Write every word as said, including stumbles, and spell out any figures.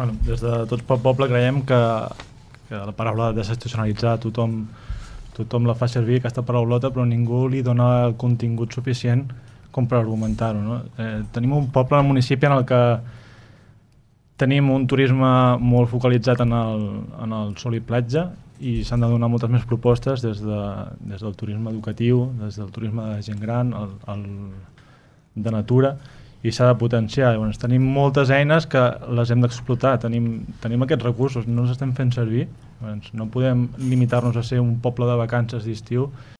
Bueno, des de Tots pel Poble creiem que, que la paraula desestacionalitzar tothom, tothom la fa servir, aquesta paraulota, però ningú li dona el contingut suficient com per argumentar-ho. No? Eh, tenim un poble al municipi en el que tenim un turisme molt focalitzat en el, en el sol i platja i s'han de donar moltes més propostes des, de, des del turisme educatiu, des del turisme de gent gran, el, el, de natura, i s'ha de potenciar. Llavors, tenim moltes eines que les hem d'explotar, tenim, tenim aquests recursos, no els estem fent servir. Llavors, no podem limitar-nos a ser un poble de vacances d'estiu